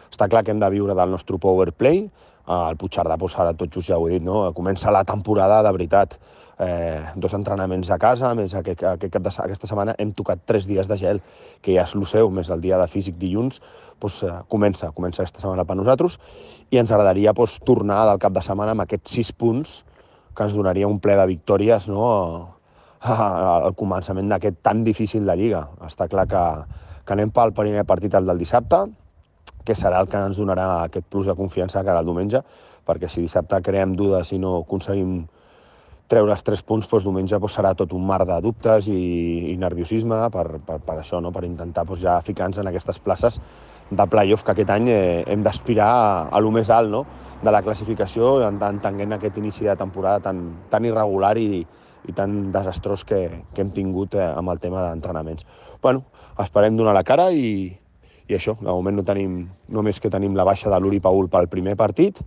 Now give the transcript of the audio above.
està clar que hem de viure del nostre power play. El Puigcerdà, ara tot just ja ho he dit, no? Comença la temporada de veritat. 2 entrenaments a casa, a més aquesta setmana hem tocat 3 dies de gel, que ja és lo seu, més el dia de físic dilluns, comença aquesta setmana per nosaltres, i ens agradaria tornar del cap de setmana amb aquests 6 punts que ens donaria un ple de victòries, no?, al començament d'aquest tan difícil de Lliga. Està clar que anem pel primer partit, el del dissabte, que serà el que ens donarà aquest plus de confiança cara al diumenge, perquè si dissabte creem dudes i no aconseguim treure els 3 punts, diumenge serà tot un mar de dubtes i nerviosisme per això, no? Per intentar ja ficar-nos en aquestes places de play-off que aquest any hem d'aspirar a lo més alt, no?, de la classificació, entenent aquest inici de temporada tan irregular i tan desastrós que hem tingut amb el tema d'entrenaments. Bueno, esperem donar la cara i això, de moment no tenim, només que tenim la baixa de l'Uri Paul pel primer partit